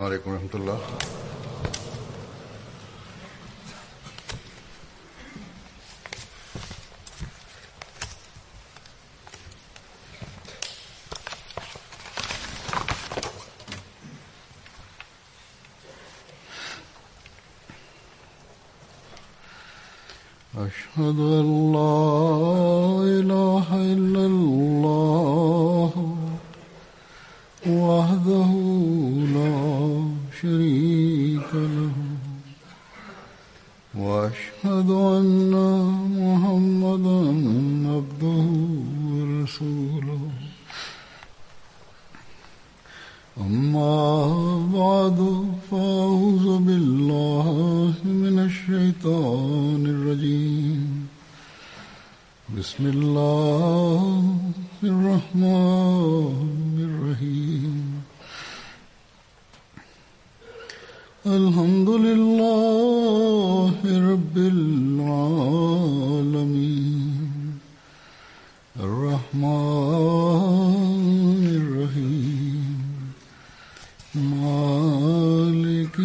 عليڪم ورحمة الله. أشهد أن لا إله إلا الله وحده لا شريك له وأشهد أن محمدا عبده ورسوله أما بعد فأعوذ بالله من الشيطان الرجيم بسم الله الرحمن الرحيم الحمد لله رب العالمين الرحمن الرحيم مالك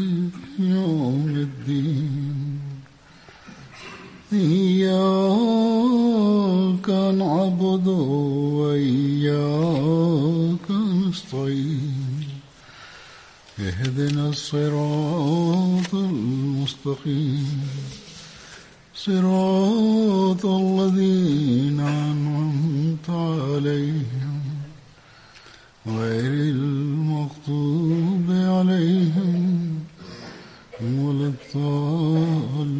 يوم الدين إياك نعبد وإياك نستعين اهدنا الصراط المستقيم صراط الذين أنعمت عليهم غير المغضوب عليهم ولا الضالين.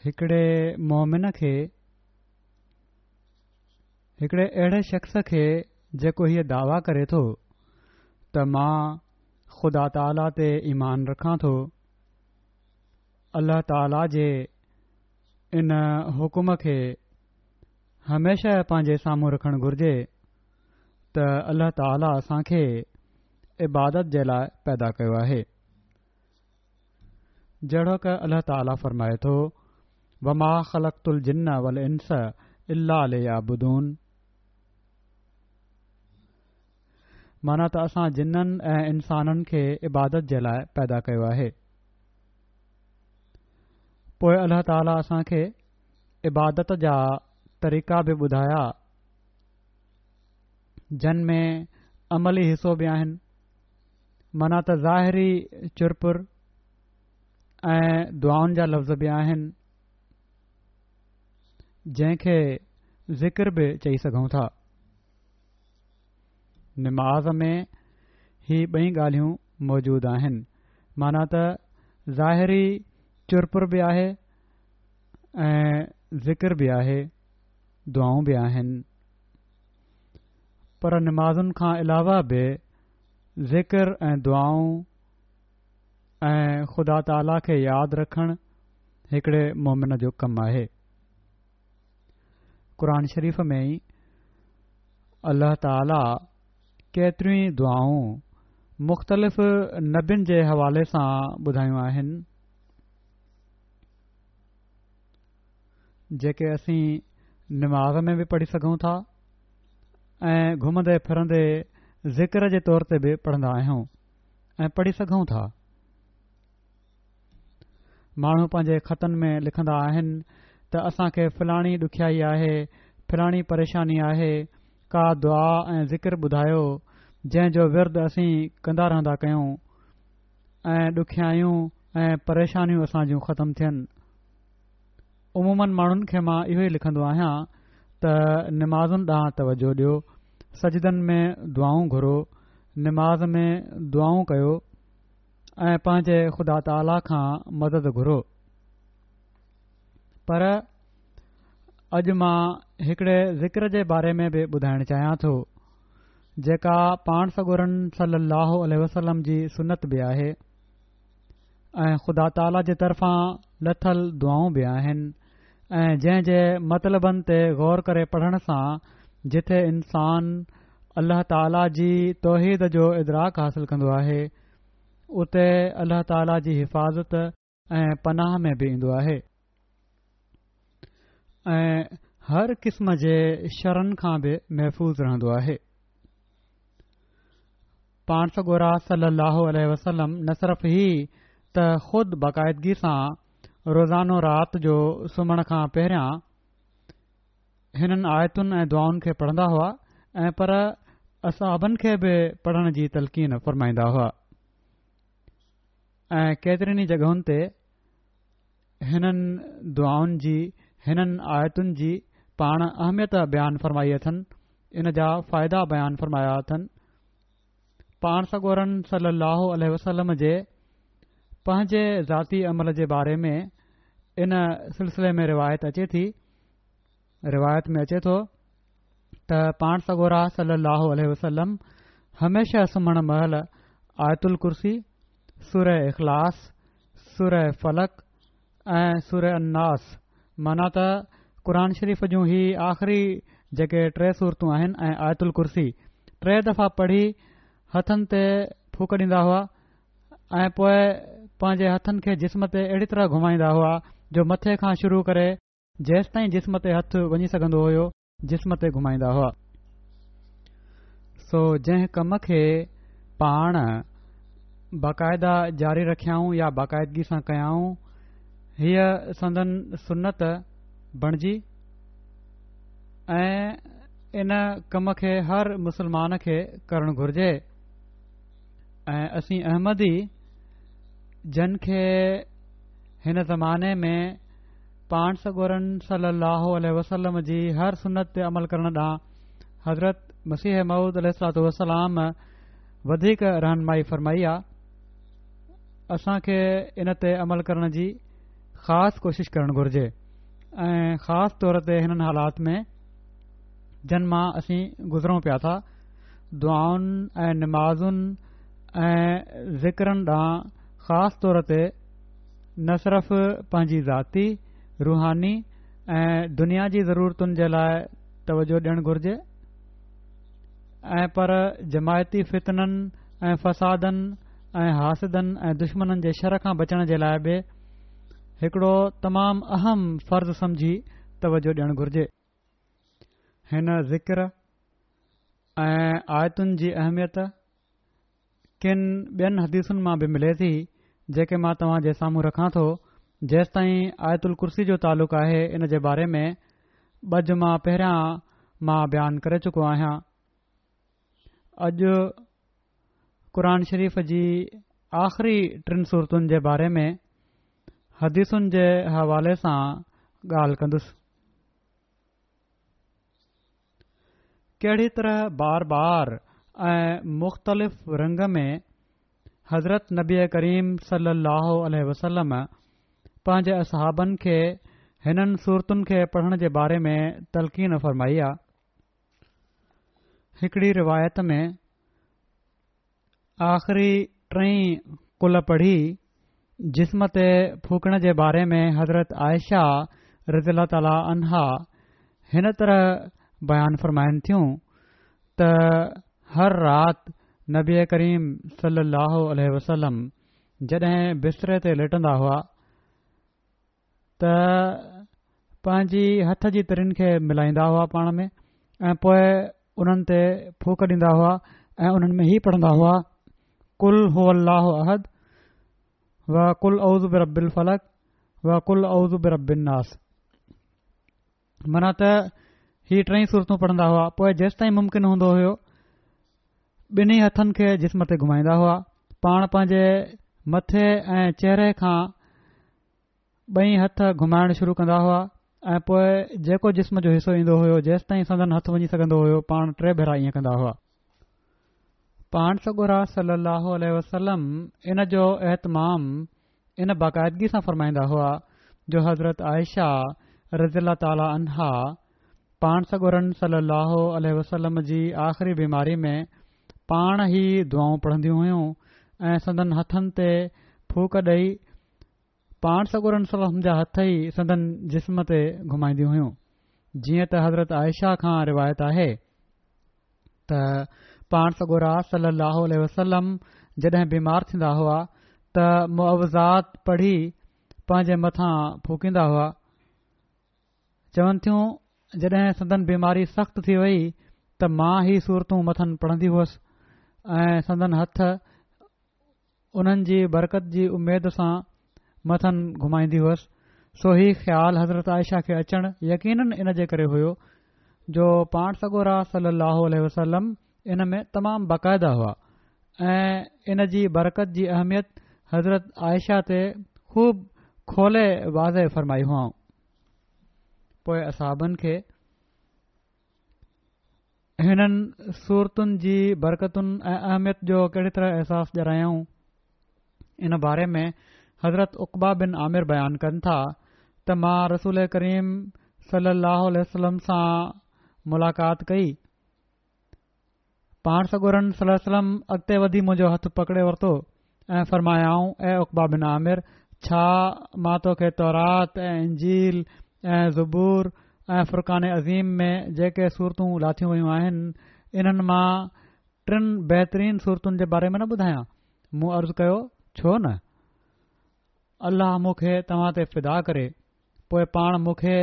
هڪڙي مؤمن کي، هڪڙي اهڙي شخص کي جيڪو هيء دعويٰ ڪري ٿو ته مان خدا تعاليٰ تي ايمان رکان ٿو، الله تعاليٰ جي ان حڪم کي هميشه پنهنجي سامهون رکڻ گهرجي ته الله تعاليٰ اسان کي عبادت جي لاء پيدا ڪيو آهي. جهڙوڪ الله تعاليٰ فرمائي ٿو، وما خلقت الجن والانس الا ليعبدون معنيٰ ته اسان جنن ۽ انسانن کي عبادت جي لاء پيدا ڪيو آهي. پوء الله تعاليٰ اسان کي عبادت جا طريقا به ٻڌايا جن ۾ عملي حصو به آهن معنيٰ ته ظاهري چرپر ۽ دعائن جا لفظ به آهن جنهن کي ذڪر به چئي سگهون ٿا. نماز ۾ هي ٻئي ڳالهيون موجود آهن معنيٰ ته ظاهري چرپر به آهي ۽ ذڪر به آهي دعائون به آهن پر نمازن کان علاوه به ذڪر ۽ دعائون ۽ خدا تعاليٰ کي ياد رکڻ هڪڙي مومن جو ڪم آهي. قرآن شريف ۾ ئي الله تعاليٰ ڪيتريون ئي دعائون مختلف نبين جي حوالي سان ٻڌايون آهن، جيڪي اسين نماز ۾ به پڙهي سگهون ٿا ۽ گهمندي ڦرندي ذڪر جي طور تي به پڙهندا آهيون ۽ پڙهي سگهون ٿا. ماڻهو پنهنجي خطن ۾ لکندا آهن ته اسان کي فلاڻي ڏکيائي آهي، فلاڻي پريشاني آهي، ڪا دعا ۽ ذڪر ٻڌايو جنهن جو ورد اسين ڪندا رهندا ڪيون ۽ ڏکيائيون ۽ پريشانيون اسان جون ختم ٿين. عموماً ماڻهن کي مان اهو ئي لکندو آهيان ته نمازن ڏانهن توجهه ڏيو، سجدن ۾ دعائون گهرو، نماز ۾ دعائون ڪيو ۽ پنهنجي خدا تعاليٰ کان مدد گهرو. پر اڄ مان هڪڙي ذڪر جي باري ۾ به ٻڌائڻ چاهيان ٿو جيڪا پاڻ سڳورن صلي الله عليه وسلم جي سنت به آهي ۽ خدا تعاليٰ جي طرفان لٿل دعائون به آهن ۽ جنهن جي مطلبن تي غور ڪري پڙهڻ سان جٿي انسان الله تعاليٰ جي توحيد جو ادراڪ حاصل ڪندو آهي اتي الله تعاليٰ جي حفاظت ۽ پناهه ۾ به ايندو آهي. ۽ هر قسم جي شرن کان به محفوظ رهندو آهي. پاڻ سڳورا صلّي اللّٰه عليه وسلّم نه صرف هي ته خود باقاعدگي سان روزانو رات جو سمهڻ کان پهريان هنن آيتن ۽ دعائن کي پڙهندا هئا ۽ پر اصحابن کي به پڙهڻ جي تلقين فرمائيندا هئا ۽ ڪيترين ئي جڳهن تي هنن دعائن جي، هنن آيتن جي پاڻ اهميت بيان فرمائي اٿن، ان جا فائدا بيان فرمايا اٿن. پاڻ سڳورن صلّي اللّٰه عليه وسلّم جي پنهنجي ذاتي عمل جي باري ۾ ان سلسلي ۾ روايت اچي ٿي، روايت ۾ اچي ٿو ته پاڻ سڳورا صلّي اللّٰه عليه وسلّم هميشه سمهڻ مهل آيت الڪرسي، سوره اخلاص، سوره فلق ۽ سوره الناس معنيٰ ته قرآن شريف جون هي آخري جيڪي ٽي سورتون آهن ۽ آيت الڪرسي ٽي دفعا پڙهي هٿن تي ڦوڪ ڏيندا هئا ۽ پوء پنهنجي هٿن کي جسم تي اهڙي طرح گهمائيندا هئا جو مٿي کان شروع ڪري جيستائين جسم تي هٿ وڃي سگهندو هيو جسم تي گهمائيندا هئا. سو جنهن ڪم کي پاڻ باقاعده جاري رکيائون يا باقاعدگي سان ڪيائون هيء سندن سنت بڻجي ۽ ان ڪم کي هر مسلمان کي ڪرڻ گهرجي ۽ اسين احمدي جن کي هن زماني ۾ پاڻ سڳورن صلّي اللّٰه عليه وسلّم جي هر سنت تي عمل ڪرڻ ڏانهن حضرت مسيح موعود عليه الصلوة والسلام وڌيڪ رهنمائي فرمائي آ اسان کي ان تي عمل ڪرڻ جي خاص ڪوشش ڪرڻ گهرجي ۽ خاص طور تي هنن حالات ۾ جن مان اسين گذرون پيا ٿا دعائن ۽ نمازن ۽ ذڪرن ڏانهن خاص طور تي نه صرف پنهنجي ذاتي، روحاني ۽ دنيا جي ضرورتن جي لاء توجه ڏيڻ گهرجي ۽ پر جماعتي فتنن ۽ فسادن ۽ حاسدن ۽ دشمنن جي شر کان بچڻ جي لاء به هڪڙو تمام اهم فرض سمجهي توجه ڏيڻ گهرجي. هن ذڪر ۽ آيتن جي اهميت ڪن ٻين حديثن مان به ملي ٿي، جيڪي مان توهان جي سامهون رکان ٿو. جيستائين آيت الڪرسي جو تعلق آهي ان جي باري ۾ ٻه جمعا پهريان مان بيان ڪري چڪو آهيان. اڄ قرآن شريف جي آخري ٽن سورتن جي باري ۾ حديثن جي حوالي سان ڳالهه ڪندس. ڪهڙي طرح بار بار ۽ مختلف رنگ ۾ حضرت نبي ڪريم صلي الله عليه وسلم پنهنجي اصحابن کي هنن سورتن کي پڙهڻ جي باري ۾ تلقين فرمائي آ. هڪڙي روايت ۾ آخري ٽئين قل پڙهي جسم تي ڦوڪڻ جي باري ۾ حضرت عائشه رضي الله تعالٰي عنها هن طرح بيان فرمائن ٿيون ته هر رات نبي ڪريم صلي الله عليه وسلم جڏهن بستري تي ليٽندا هئا ته پنهنجي هٿ جي ترين کي ملائيندا هئا پاڻ ۾ ۽ پوء انهن تي ڦوڪ ڏيندا هئا ۽ انهن ۾ هي پڙهندا هئا قل هو الله احد و قل اعوذ برب الفلق و قل اعوذ برب الناس معنيٰ ته هي ٽئي سورتون پڙهندا هئا پوء جيستائين ممڪن هوندو هيو ٻنهي هٿن کي جسم تي گهمائيندا هئا پاڻ پنهنجي مٿي ۽ چهري کان ٻئي هٿ گهمائڻ شروع ڪندا هئا ۽ پوء جيڪو جسم جو حصو ايندو هيو جيستائين سندن هٿ وڃي سگهندو هيو پاڻ ٽي ڀيرا ائين ڪندا هئا. پاڻ سڳورا صلي الله عليه وسلم ان جو اهتمام ان باقاعدگي سان فرمائيندا هئا جو حضرت عائشه رضي الله تعالٰي عنها پاڻ سڳورن صلي الله عليه وسلم جي آخري بيماري ۾ پاڻ هي دعائون پڙهنديون هيون ۽ سندن هٿن تي ڦوڪ ڏئي پاڻ سڳورن صلي الله عليه وسلم جا هٿ ئي سندن جسم تي گهمائينديون هيون جيئن ته حضرت عائشه کان روايت آهي ته پاڻ سڳورا صلي الله عليه وسلم جڏهن بيمار ٿيندا هئا ته معوذات پڙهي پنهنجي مٿان ڦوڪيندا هئا. چون ٿيون جڏهن سندن بيماري سخت ٿي وئي ته مان هي سورتون مٿن پڙهندي هئس ۽ سندن هٿ انهن جي برڪت جي اميد سان مٿن گهمائيندي هئس، سو هي خيال حضرت عائشه کي اچڻ يقيناً ان جي ڪري هيو جو پاڻ سڳورا صلي الله عليه وسلم ان ۾ تمام باقاعده هئا ۽ ان جي برڪت جي اهميت حضرت عائشه تي خوب کولي واضح فرمائي هئائون. پوء اصحابن کي هنن سورتن جي برڪتن ۽ اهميت جو ڪهڙي طرح احساس ڏياريائون، ان باري ۾ حضرت عقبه بن عامر بيان ڪن ٿا ته مان رسول ڪريم صلي الله عليه وسلم سان ملاقات ڪئي، پاڻ سڳورن صلي الله عليه وسلم اڳتي وڌي منهنجو هٿ پڪڙي ورتو ۽ فرمايائون، اي عقبه بن عامر! ڇا مان توکي تورات ۽ انجيل ۽ زبور ۽ فرقان عظيم ۾ جيڪي سورتون لاٿيون ويون آهن، انهن مان ٽن بهترين سورتن جي باري ۾ نه ٻڌايان؟ مون عرض ڪيو، ڇو نه! الله مون کي توهان تي فدا ڪري. پوء پاڻ مون کي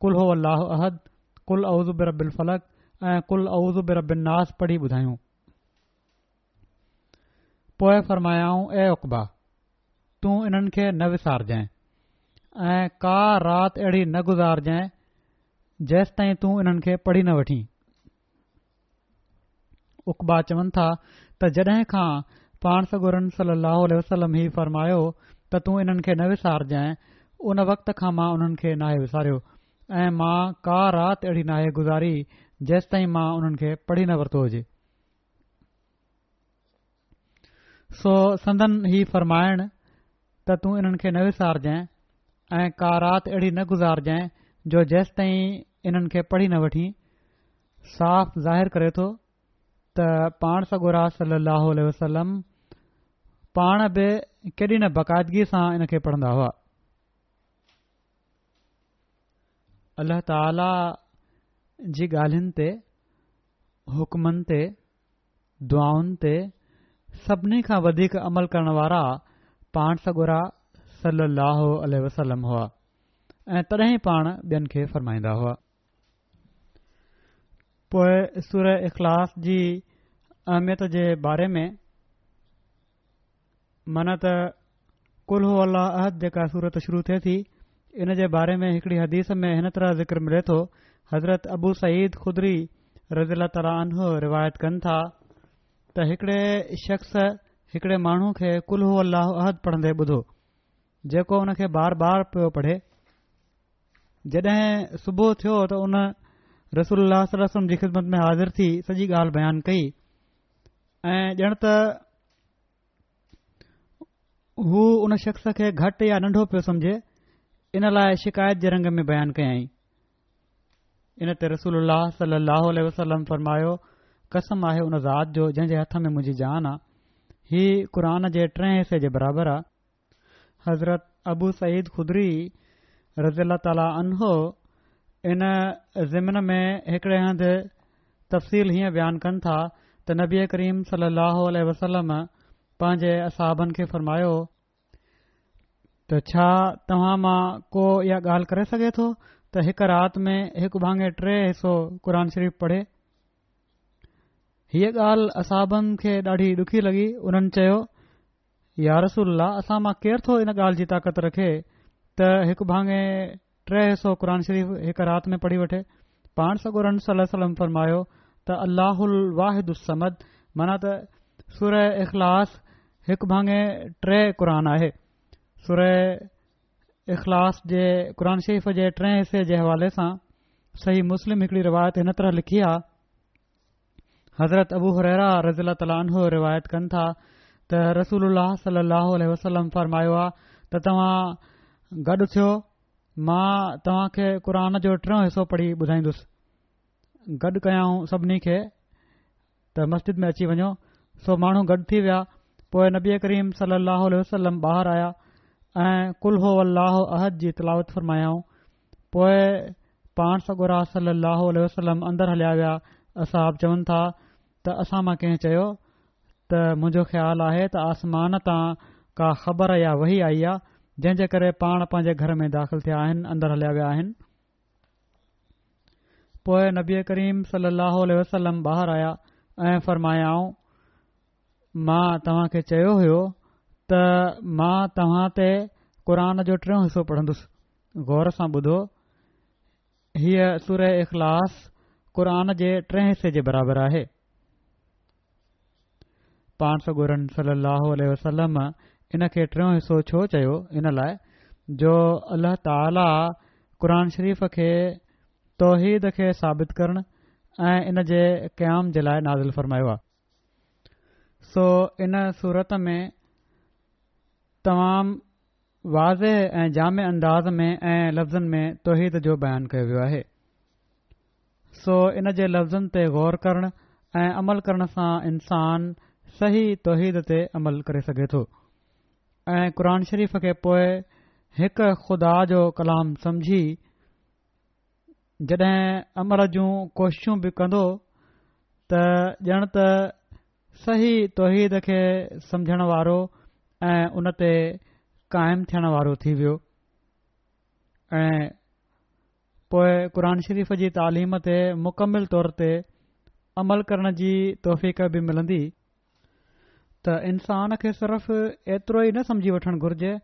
قل هو الله احد، قل اعوذ برب الفلق ۽ قل اعوذ برب الناس پڙهي ٻڌايون. پوء فرمايائون، اي عقبه! تون انهن کي نه وسارجانء ۽ ڪا رات اهڙي نه گذارجانء جيستائين تون انهن کي پڙهي نه وٺين. عقبه چون ٿا ته جڏهن کان پاڻ سڳورن صلي الله عليه وسلم هي فرمايو ته تون انهن کي نه وسارجانء ان وقت کان مان انهن کي ناهي وساريو ۽ مان ڪا رات اهڙي ناهي گذاري جيستائين مان انهن کي پڙهي نه ورتو هجي. سو سندن هي فرمائڻ ته تون انهن کي نه وسارجانء ۽ ڪا رات اهڙي نه گذارجانء جو جيستائين انهن کي پڙهي نه وٺين، صاف ظاهر ڪري ٿو ته پاڻ سڳورا صلي الله عليه وسلم پاڻ به ڪيڏي نه باقاعدگي سان ان کي پڙهندا هئا. الله تعالي جي ڳالهين تي، حڪمن تي، دعائن تي سڀني کان وڌيڪ عمل ڪرڻ وارا پاڻ سڳورا صلّي اللّٰه عليه وسلّم هئا ۽ تڏهن ئي پاڻ ٻين کي فرمائيندا هئا. پوء سوره اخلاص جي اهميت جي باري ۾ معنيٰ ته قل هو الله احد جيڪا سورت شروع ٿئي ٿي ان جي باري ۾ هڪڙي حديث ۾ هن طرح ذڪر ملي ٿو حضرت ابو سعيد خدري رضي الله تعالٰي عنه روايت ڪن ٿا ته هڪڙي شخص هڪڙي ماڻهو کي قل هو الله احد پڙهندي ٻڌو جيڪو ان کي بار بار پيو پڙهي جڏهن صبح ٿيو ته ان رسول الله صلي الله عليه وسلم جي خدمت ۾ حاضر ٿي سڄي ڳالهه بيان ڪئي ۽ ڄڻ ته هو ان شخص کي گهٽ يا ننڍو پيو سمجهي ان لاء شڪايت جي رنگ ۾ بيان ڪيائين ان تي رسول الله صلي الله عليه وسلم فرمايو قسم آهي ان ذات جو جنهن جي هٿ ۾ منهنجي جان آ هي قرآن جي ٽئين حصي جي برابر آ حضرت ابو سعيد خدري رضي الله تعالٰي عنه ان ضمن ۾ هڪڙي هنڌ تفصيل هيئن بيان ڪن ٿا ته نبي ڪريم صلي الله عليه وسلم پنهنجي اصحابن کي فرمايو ته ڇا توهان مان ڪو اها ڳالهه ڪري سگهي ٿو ته هڪ رات ۾ هڪ ڀاڱي ٽي حصو قرآن شريف پڙهي؟ هيء ڳالهه اصحابن کي ڏاڍي ڏکي لڳي انهن چيو يا رسول الله اسان مان ڪير ٿو ان ڳالهه جي طاقت رکي ته هڪ ڀاڱي ٽي حصو قرآن شريف هڪ رات ۾ پڙهي وٺي پاڻ سڳورن صلي الله عليه وسلم فرمايو ته الله الواحد الصمد معنيٰ ته سوره اخلاص هڪ ڀاڱي ٽي قرآن آهي سوره اخلاص جي قرآن شريف جي ٽئين حصي جي حوالي سان صحيح مسلم هڪڙي روايت هن طرح لکي آ حضرت ابو هريره رضي الله تعالٰي عنه روايت ڪن ٿا ته رسول الله صلي الله عليه وسلم فرمايو آ ته توهان گڏ ٿيو مان توهان کي قرآن جو ٽيون حصو پڙهي ٻڌائيندس گڏ ڪيائون سڀني کي ته مسجد ۾ اچي وڃو سو ماڻهو گڏ ٿي ويا پوء نبي ڪريم صلي الله عليه وسلم ٻاهر آيا ۽ قل هو الله احد جي تلاوت فرمايائون پوء پاڻ سڳورا صلّي اللّٰه عليه وسلّم اندر هليا ويا، اصحاب چون ٿا ته اسان مان ڪنهن چيو ته منهنجو خيال آهي ته آسمان تان ڪا خبر يا وحي آئي آ، جنهن جي ڪري پاڻ پنهنجي گهر ۾ داخل ٿيا آهن، اندر هليا ويا آهن. پوء نبي ڪريم صلي الله عليه وسلم ٻاهر آيا ۽ فرمايائون، مان توهان کي چيو هيو ته مان توهان تي قرآن جو ٽيون حصو پڙهندس. غور سان ٻڌو، هيء سوره اخلاص قرآن جي ٽئين حصي جي برابر آهي. پاڻ سڳورن صلي الله عليه وسلم ان کي ٽيون حصو ڇو چيو؟ ان لاء جو الله تعاليٰ قرآن شريف کي توحيد کي ثابت ڪرڻ ۽ ان جي قيام جي لاء نازل فرمايو آهي. سو ان سورت ۾ تمام واضح ۽ جامع انداز ۾ ۽ لفظن ۾ توحيد جو بيان ڪيو ويو آهي. سو ان جي لفظن تي غور ڪرڻ ۽ عمل ڪرڻ سان انسان صحيح توحيد تي عمل ڪري سگهي ٿو ۽ قرآن شريف کي پوء هڪ خدا جو ڪلام سمجهي جڏهن عمل جون ڪوششون به ڪندو ته ڄڻ ته صحيح توحيد کي سمجهڻ وارو ۽ ان تي قائم ٿيڻ وارو ٿي ويو ۽ پوء قرآن شريف جي تعليم تي مڪمل طور تي عمل ڪرڻ جي توفيق به ملندي. ته انسان کي صرف ايترو ئي نه سمجهي وٺڻ گهرجي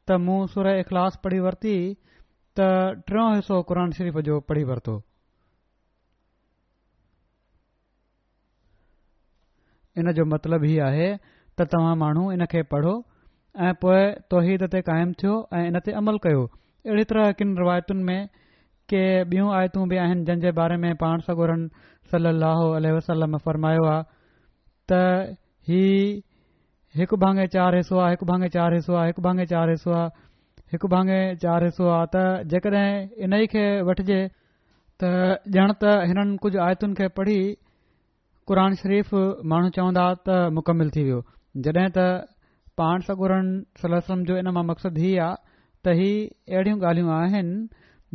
ته مون سوره اخلاص پڙهي ورتي ته ٽيون حصو قرآن شريف جو پڙهي ورتو. ان جو مطلب هي آهي ته توهان ماڻهو ان کي پڙهو ۽ پوء توحيد تي قائم ٿيو ۽ ان تي عمل ڪيو. اهڙي طرح ڪن روايتن ۾ ڪي ٻيون آيتون به آهن جن جي باري ۾ پاڻ سڳورن صلي الله عليه وسلم فرمايو آهي ته هي هڪ ڀاڱي چار حصو آهي، هڪ ڀاڱي چار حصو آهي، هڪ ڀاڱي چار حصو آهي، هڪ ڀاڱي چار حصو آهي ته جيڪڏهن انهي کي وٺجي ته ڄڻ ته هنن ڪجهه آيتن کي پڙهي قرآن شريف ماڻهو چوندا ته مڪمل ٿي ويو جڏهن ته پاڻ سڳورن صلي الله عليه وسلم جو ان مان مقصد هي آ ته هي اهڙيون ڳالهيون آهن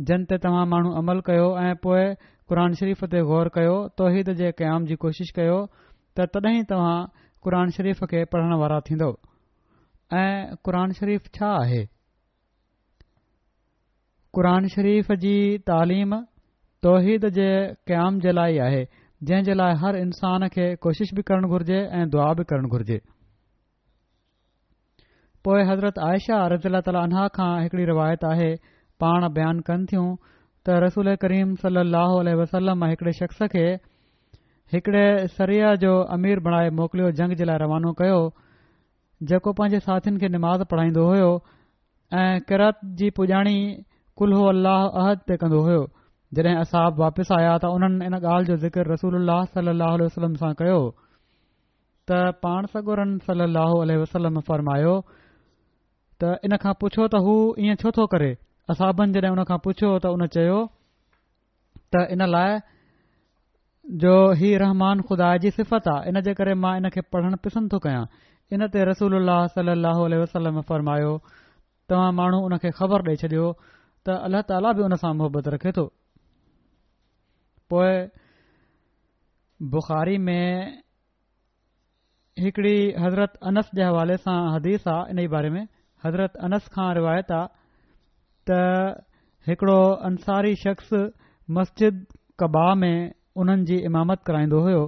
جن تي توهان ماڻهو عمل ڪيو ۽ پوء قرآن شريف تي غور ڪيو توحيد جي قيام جي ڪوشش ڪيو ته تڏهن توهان قرآن شريف کي پڙهڻ وارا ٿيندؤ ۽ قرآن شريف ڇا آهي؟ قرآن شريف جي تعليم توحيد جي قيام جي لاء ئي آهي، جنهن جي لاء هر انسان کي ڪوشش به ڪرڻ گهرجي ۽ دعا به ڪرڻ گهرجي. پوء حضرت عائشه رضي الله تعالٰي عنها کان هڪڙي روايت آهي، پاڻ بيان ڪن ٿيون ته رسول ڪريم صلي الله عليه وسلم هڪڙي شخص کي هڪڙي سريه جو امير بڻائي موڪليو جنگ جي لاء روانو ڪيو، جيڪو پنهنجي ساٿين کي نماز پڙهائيندو هيو ۽ قرات جي پڄاڻي قل هو الله احد تي ڪندو هيو. جڏهن اصحاب واپس آيا ته انهن ان ڳالهه جو ذڪر رسول الله صلي الله عليه وسلم سان ڪيو ته پاڻ سڳورن صلي الله عليه وسلم فرمايو ته ان کان پڇو ته هو ائين ڇو ٿو ڪري؟ اصحابن جڏهن ان کان پڇيو ته ان چيو ته ان لاء جو هي رحمان خدا جي صفت آ ان جي ڪري مان ان کي پڙهڻ پسند ٿو ڪيان. ان تي رسول الله صلي الله عليه وسلم فرمايو، توهان ماڻهو ان کي خبر ڏئي ڇڏيو ته الله تعاليٰ به ان سان محبت رکي ٿو. پوء بخاري ۾ هڪڙي حضرت انس جي حوالي سان حديث آ انهي باري ۾ حضرت انس کان روايت آ ته هڪڙو انصاري شخص مسجد قباء ۾ انهن جي امامت ڪرائيندو هيو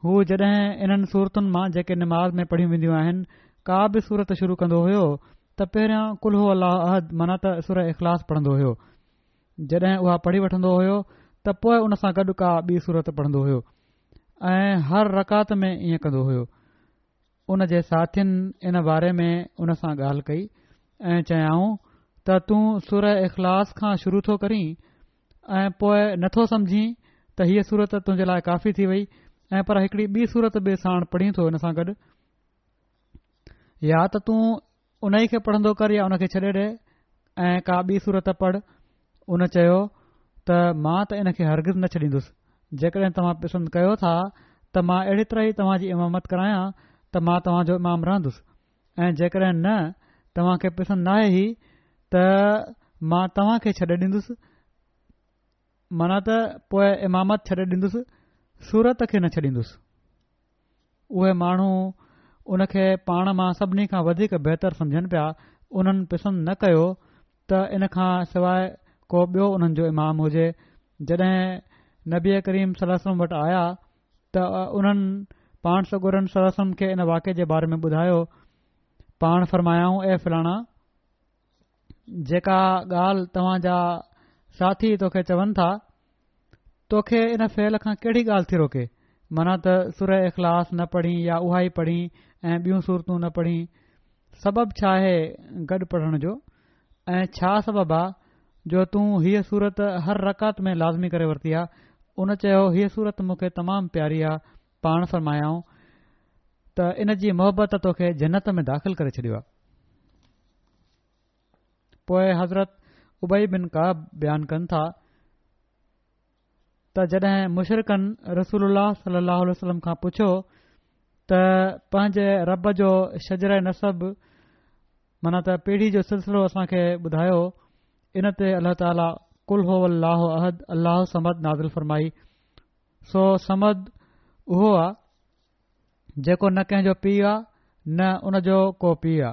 هو جڏهن انهن سورتن مان جيڪي نماز ۾ پڙهيون وينديون آهن ڪا به سورت شروع ڪندو هيو ته پهريان قل هو الله احد معنيٰ ته سوره اخلاص پڙهندو هيو جڏهن اها پڙهي وٺندو هيو ته پوء ان سان گڏ ڪا ٻي سورت پڙهندو هيو ۽ هر رڪعت ۾ ائين ڪندو هيو. ان جي ساٿين ان باري ۾ ان سان ڳالهه ڪئي ۽ چيائون ته تون سوره اخلاص کان شروع ٿو ڪرين ۽ پوء نه ٿو سمجهين ته هيء سورت تنهنجي لاء ڪافي ٿي وئي ۽ پر هڪڙي ٻي سورت به ساڻ پڙهين ٿو ان سان گڏ يا ته تون انهيء کي پڙهندو ڪر يا ان کي ڇڏي ڏي ۽ ڪا ٻي سورت پڙهه. ان چيو ته مان ته ان کي هرگز نه ڇڏيندس. جيڪڏهن توهان پسند ڪيو ٿا ته مان اهڙي طرح ئي توهان جي امامت ڪرايان ته مان توهان جو امام رهندس ۽ جيڪڏهن نه توهان کي پسند ناهي هي ته مان توهان کي ڇڏي ڏيندس معنيٰ ته پوء امامت ڇڏي ڏيندس سورت کي نه ڇڏيندس. اهي ماڻهو ان کي پاڻ مان سڀني کان وڌيڪ بهتر سمجهن پيا، انهن پسند نه ڪيو ته ان کان سواء ڪو ٻيو انهن جو امام هجي. جڏهن نبي ڪريم صلي الله عليه وسلم وٽ آيا ته انهن پاڻ سڳورن صلي الله عليه وسلم کي ان واقعي جي باري ۾ ٻڌايو. پاڻ فرمايائون، اي فلاڻا! جيڪا ڳالهه توهان جا ساٿي توکي چون ٿا، توکي ان فعل کان ڪهڙي ڳالهه ٿي روڪي؟ معنيٰ ته سوره اخلاص نه پڙهين يا اها ئي پڙهين ۽ ٻيون سورتون نه پڙهين، سبب ڇا آهي گڏ پڙهڻ جو؟ ۽ ڇا سبب آ جو تون هيء سورت هر رڪعت ۾ لازمي ڪري ورتي آ؟ ان چيو، هيء سورت مون کي تمام پياري آ. پاڻ فرمايائون ته ان جي محبت توکي جنت ۾ داخل ڪري ڇڏيو آ. پوء حضرت ابي بن ڪعب بيان ڪن ٿا ته جڏهن مشرڪن رسول الله صلي الله عليه وسلم کان پڇيو ته پنهنجي رب جو شجره نسب معنيٰ ته پيڙهي جو سلسلو اسان کي ٻڌايو ان تي الله تعاليٰ قل هو الله احد الله الصمد نازل فرمائي سو صمد اهو آ جيڪو نه ڪنهن جو پيء آ نه ان جو ڪو پيء آ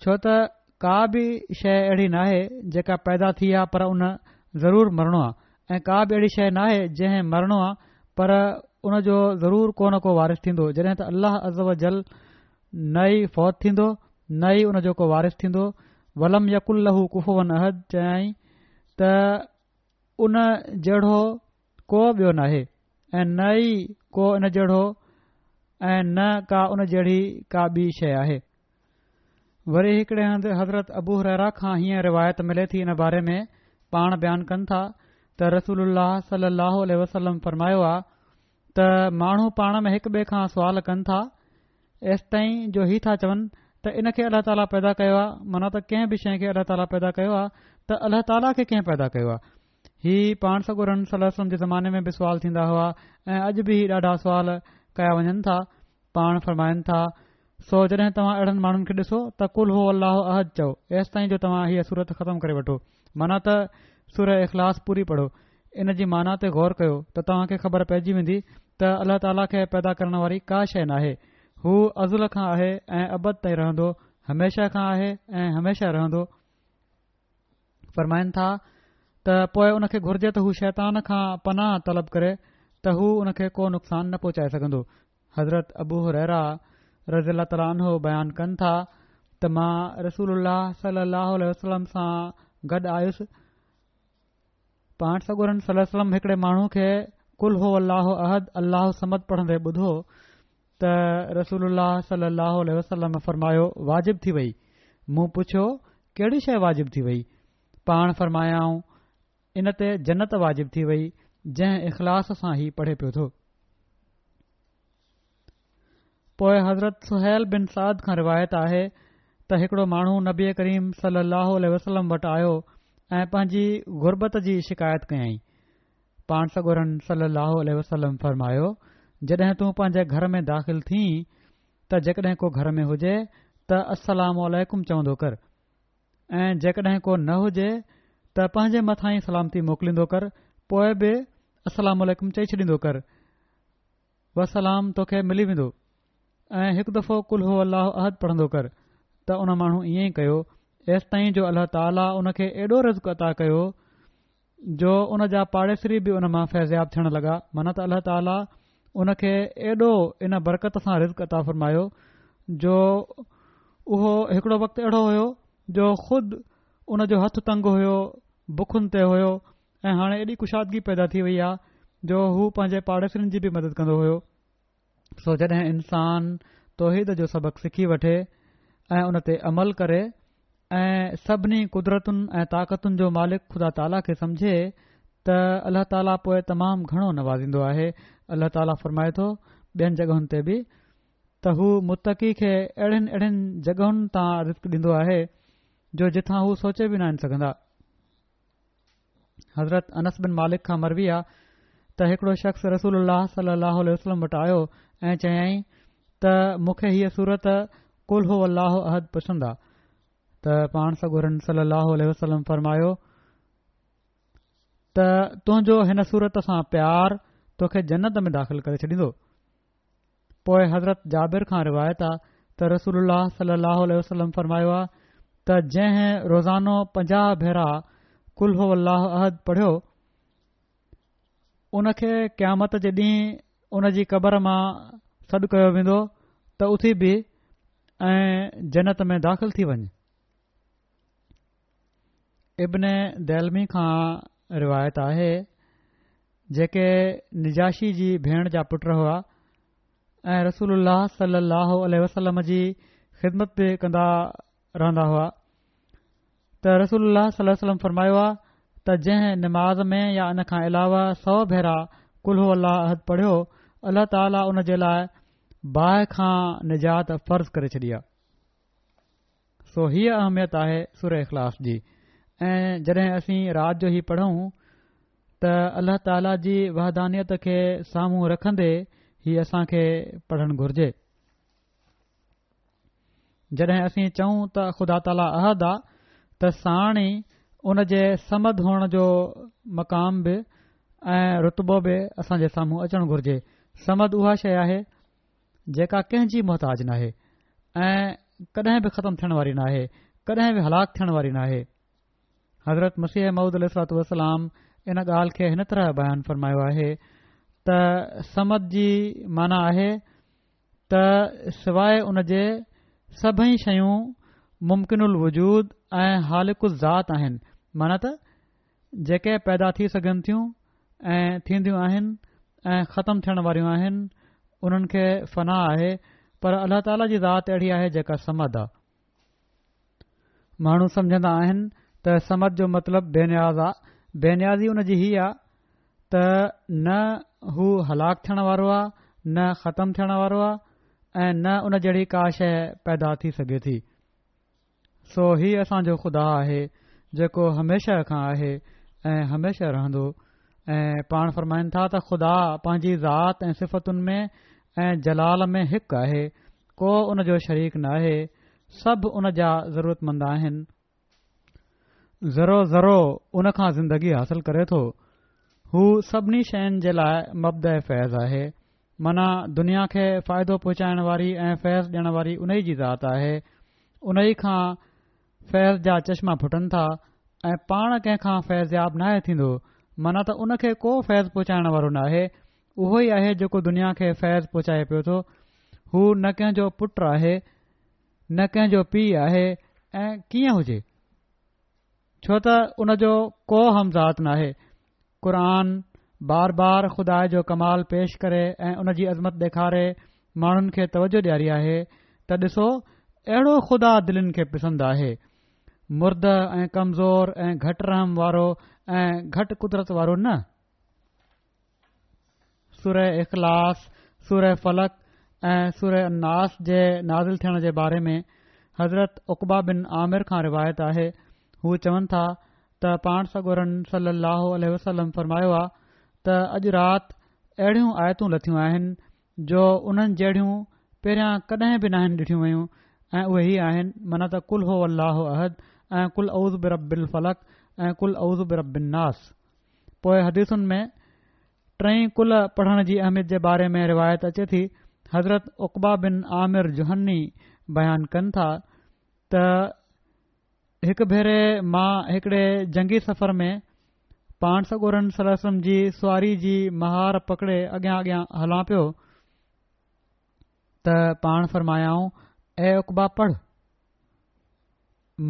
ڇو ته ڪا به شيء اهڙي ناهي جيڪا پيدا ٿي آ پر ان ضرور مرڻو آ ۽ ڪا به اهڙي شيء ناهي جنهن مرڻو آ پر ان جو ضرور ڪو نه ڪو وارث ٿيندو جڏهن ته الله عزوجل نه ئي فوت ٿيندو نه ئي ان جو ڪو وارث ٿيندو ولم يڪن له ڪفوا احد چيائين ته ان جهڙو ڪو ٻيو ناهي ۽ نه ئي ڪو ان جهڙو ۽ نه ڪا ان جهڙي ڪا ٻي شيء آهي. وري هڪڙي هنڌ حضرت ابو هريره کان هيئن روايت ملي ٿي ان باري ۾ پاڻ بيان ڪن ٿا ته رسول الله صلي الله عليه وسلم فرمايو آ ته ماڻهو پاڻ ۾ هڪ ٻئي کان سوال ڪن ٿا ايستائين جو هي ٿا چون ته ان کي الله تعاليٰ پيدا ڪيو آ معنيٰ ته ڪنهن به شيء کي الله تعاليٰ پيدا ڪيو آ ته الله تعاليٰ کي ڪنهن پيدا ڪيو آ هي پاڻ سڳورن صلي الله عليه وسلم جي زماني ۾ به سوال ٿيندا هئا ۽ اڄ به هي ڏاڍا سوال ڪيا وڃن ٿا. پاڻ فرمائن ٿا، سو جڏهن توهان اهڙن ماڻهن کي ڏسو ته قل هو الله احد چئو ايستائين جو توهان هيء سورت ختم ڪري وٺو معنيٰ ته سوره اخلاص پوري پڙهو ان جي معنيٰ تي غور ڪيو ته توهان کي خبر پئجي ويندي ته الله تعاليٰ کي پيدا ڪرڻ واري ڪا شيء ناهي هو ازل کان آهي ۽ ابد تائين رهندو هميشه کان آهي ۽ هميشه رهندو. فرمائن ٿا ته پوء ان کي گهرجي ته هو شيطان کان پناهه طلب ڪري ته هو ان کي ڪو نقصان نه پهچائي سگهندو. حضرت ابو هريره رضي الله تعالٰي عنه بيان ڪن ٿا ته مان رسول الله صلي الله عليه وسلم سان گڏ آيس، پاڻ سڳورن صلي الله عليه وسلم هڪڙي ماڻهو کي قل هو الله احد الله الصمد پڙهندي ٻڌو ته رسول الله صلي الله عليه وسلم فرمايو، واجب ٿي وئي. مون پڇيو، ڪهڙي شيء واجب ٿي وئي؟ پاڻ فرمايائون، ان تي جنت واجب ٿي وئي، جنهن اخلاص سان هي پڙهي پيو ٿو. پوء حضرت سهيل بن سعد کان روايت آهي ته هڪڙو ماڻهو نبي ڪريم صلي الله عليه وسلم وٽ آيو ۽ پنهنجي غربت جي شڪايت ڪيائين. پاڻ سڳورن صلّي اللّٰه عليه وسلّم فرمايو، جڏهن تون پنهنجي گهر ۾ داخل ٿين ته جيڪڏهن ڪو گهر ۾ هجي ته السّلام عليڪم چوندو ڪر ۽ جيڪڏهن ڪو نه هجي ته پنهنجي مٿان ئي سلامتي موڪليندو ڪر پوء به السّلام عليڪم چئي ڇڏيندو ڪر والسلام توکي ملي ويندو ۽ هڪ دفعو قل هو الله احد پڙهندو ڪر ته ان ماڻهو ائين ئي ڪيو ايستائين جو الله تعاليٰ ان کي ايڏو رزق عطا ڪيو جو ان جا پاڙيسري به ان مان فيضياب ٿيڻ لڳا معنيٰ ته الله تعاليٰ ان کي ايڏو ان برڪت سان رزق عطا فرمايو جو اهو هڪڙو وقت اهڙو هيو جو خود ان جو هٿ تنگ هيو بکن تي هيو ۽ هاڻي ايڏي ڪشادگي پيدا ٿي وئي آ جو هو پنهنجي پاڙيسرين جي به مدد ڪندو هيو. سو جڏهن انسان توحيد جو سبق سکي وٺي ۽ ان تي عمل ڪري ۽ سڀني قدرتن ۽ طاقتن جو مالڪ خدا تعاليٰ کي سمجهي ته الله تعاليٰ پوء تمام گهڻو نوازيندو آهي. الله تعاليٰ فرمائي ٿو ٻين جڳهن تي به ته هو متقي کي اهڙين اهڙين جڳهن تان رزق ڏيندو آهي جو جتان هو سوچي به ناهن سگهندا. حضرت انس بن مالڪ کان مروي آ ته هڪڙو شخص رسول الله صلي الله عليه وسلم وٽ آيو ۽ چيائين ته مون کي هيء سورت قل هو الله احد پسند آ ته پاڻ سڳورن صلي الله عليه وسلم فرمايو ته تنهنجو هن سورت سان پيار توکي جنت ۾ داخل ڪري ڇڏيندو. پوء حضرت جابر کان روايت آ ته رسول الله صلي الله عليه وسلم فرمايو آ ته جنهن روزانو 50 ڀيرا قل هو الله احد پڙهيو. ان کي قيامت جي ڏينهن ان جي قبر مان سڏ ڪيو ويندو ته اٿي بيهه ۽ جنت ۾ داخل ٿي وڃ. ابن ديلمي کان روايت آهي، جيڪي نجاشي جي ڀيڻ جا پٽ هئا ۽ رسول الله صلي الله عليه وسلم جي خدمت به ڪندا رهندا هئا ته رسول الله صلي الله عليه وسلم فرمايو آ ته جنهن نماز ۾ يا ان کان علاوه سو ڀيرا قل هو الله احد پڙهيو الله تعالي ان جي لاء باهه کان نجات فرض ڪري ڇڏي آ. سو هيء اهميت آهي سوره اخلاص جي ۽ جڏهن اسين رات جو هي پڙهون ته الله تعالي جي وحدانيت کي سامهون رکندي هي اسان کي پڙهڻ گهرجي. جڏهن اسين چئون ته خدا تعاليٰ احد آ ته ساڻ ئي ان جي صمد هئڻ جو مقام به ۽ رتبو به اسان جي سامهون اچڻ گهرجي. صمد اها شيء آهي جيڪا ڪنهن جي محتاج ناهي ۽ ڪڏهن به ختم ٿيڻ واري ناهي، ڪڏهن به هلاڪ ٿيڻ واري ناهي. حضرت مسيح موعود عليه الصلوة والسلام ان ڳالهه کي هن طرح بيان فرمايو آهي ته صمد جي معنيٰ آهي ته سواء ان جي سڀئي شيون ممڪن الوجود ۽ هالڪ الذات آهن معنيٰ ته جيڪي پيدا ٿي سگهن ٿيون ۽ ٿينديون آهن ۽ ختم ٿيڻ واريون آهن انهن کي فنا آهي پر الله تعاليٰ جي ذات اهڙي آهي جيڪا صمد آ. ماڻهو سمجهندا آهن ته صمد جو مطلب بي نياز آ، بي نيازي ان جي هي آ ته نه هو هلاڪ ٿيڻ وارو آ، نه ختم ٿيڻ وارو آ ۽ نه ان جهڙي ڪا شيء پيدا ٿي سگهي ٿي. سو هي اسان جو خدا آهي جيڪو هميشه کان آهي ۽ هميشه رهندو ۽ پاڻ فرمائن ٿا ته خدا پنهنجي ذات ۽ صفتن ۾ ۽ جلال ۾ هڪ آهي، ڪو ان جو شريڪ ناهي، سڀ ان جا ضرورتمند آهن. ذرو ذرو ان کان زندگي حاصل ڪري ٿو. هو سڀني شين جي لاء مبدأ فيض آهي. معنيٰ دنيا کي فائدو پهچائڻ واري ۽ فيض ڏيڻ واري انهي جي ذات آهي. انهي کان فيض جا چشما ڦٽن ٿا ۽ پاڻ ڪنهن کان فيضياب ناهي ٿيندو. معنيٰ ته ان کي ڪو فيض پهچائڻ وارو ناهي. اهو ئي آهي جيڪو دنيا کي فيض پهچائي پيو ٿو. هو نه ڪنهن جو پٽ آهي، نه ڪنهن جو پيء آهي ۽ ڪيئن هجي؟ ڇو ته ان جو ڪو همذات ناهي. قرآن بار بار خدا جو ڪمال پيش ڪري ۽ ان جي عظمت ڏيکاري ماڻهن کي توجه ڏياري آهي ته ڏسو اهڙو خدا دلين کي پسند آهي. مرده ۽ ڪمزور ۽ گهٽ رحم وارو ۽ گهٽ قدرت وارو نه. سوره اخلاص، سوره فلق ۽ سوره الناس جي نازل ٿيڻ جي باري ۾ حضرت عقبه بن عامر کان روايت آهي، هو چون ٿا ته پاڻ سڳورن صلي الله عليه وسلم فرمايو آ ته اڄ رات اهڙيون آيتون لٿيون آهن جو انهن جهڙيون پهريان ڪڏهن به ناهن ڏٺيون ويون ۽ اهي هي آهن معنيٰ ته قل هو الله احد ۽ قل اعوذ برب الفلق ۽ قل اعوذ برب الناس. پوء حديثن ۾ ٽئين قل پڙهڻ جي اهميت جي باري ۾ روايت اچي ٿي، حضرت عقبه بن عامر جهني بيان ڪن ٿا ته هڪ ڀيري مان هڪڙي جنگي سفر ۾ پاڻ سڳورن صلي الله عليه وسلم جي سواري جي مهار پڪڙي اڳيان اڳيان هلان پيو ته پاڻ فرمايائون اي عقبه پڙهه!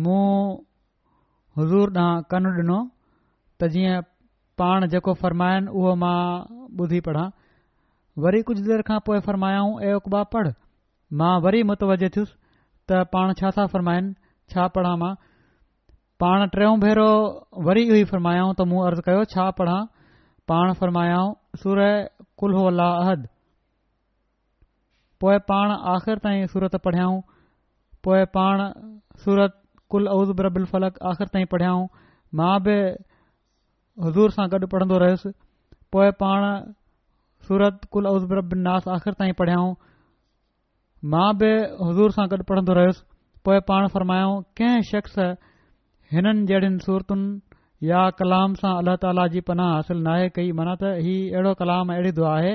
مون حضور ڏانهن ڪن ڏنو ته جيئن پاڻ جيڪو فرمائن اهو مان ٻڌي پڙهان. وري ڪجهه دير کان پوء فرمايائون اي عقبه پڙهه. مان وري متوجه ٿيس ته پاڻ ڇا ٿا فرمائن، ڇا پڙهان مان؟ پاڻ ٽيون ڀيرو وري اهو ئي فرمايائون ته مون عرض ڪيو ڇا پڙهان؟ پاڻ فرمايائون سوره قل هو الله احد. پوء پاڻ آخر تائين سورت پڙهيائون. پوء پاڻ سورت قل اعوذ برب الفلق آخر تائين پڙهيائون. مان به حضور سان گڏ پڙهندو رهيس. پوء پاڻ سورت قل اعوذ برب الناس آخر تائين پڙهيائون. مان به حضور سان گڏ پڙهندو رهيس. پوء پاڻ فرمايائون ڪنهن شخص هنن جهڙين سورتن يا ڪلام سان الله تعاليٰ جي پناهه حاصل ناهي ڪئي معنيٰ ته هي اهڙو ڪلام ۽ اهڙي دعا آهي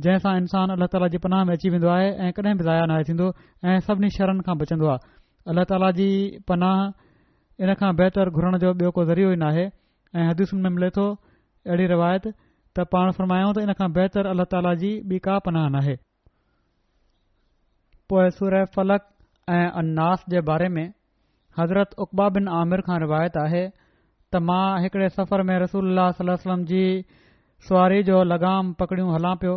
جنهن سان انسان الله تعاليٰ جي پناهه ۾ اچي ويندو آهي ۽ ڪڏهن به ضايع ناهي ٿيندو ۽ سڀني شرن کان بچندو آهي الله تعاليٰ جي پناهه ان کان بهتر گهرڻ جو ٻيو ڪو ذريعو ئي ناهي ۽ حديثن ۾ ملي ٿو اهڙي روايت ته پاڻ فرمايائون ته ان کان بهتر الله تعاليٰ جي ٻي ڪا پناهه ناهي. پوء سوره فلق ۽ الناس جي باري ۾ حضرت عقبه بن عامر کان روايت آهي ته مان هڪڙي سفر ۾ رسول الله صلي الله عليه وسلم جي سواري جو لغام پڪڙيون هلان پيو،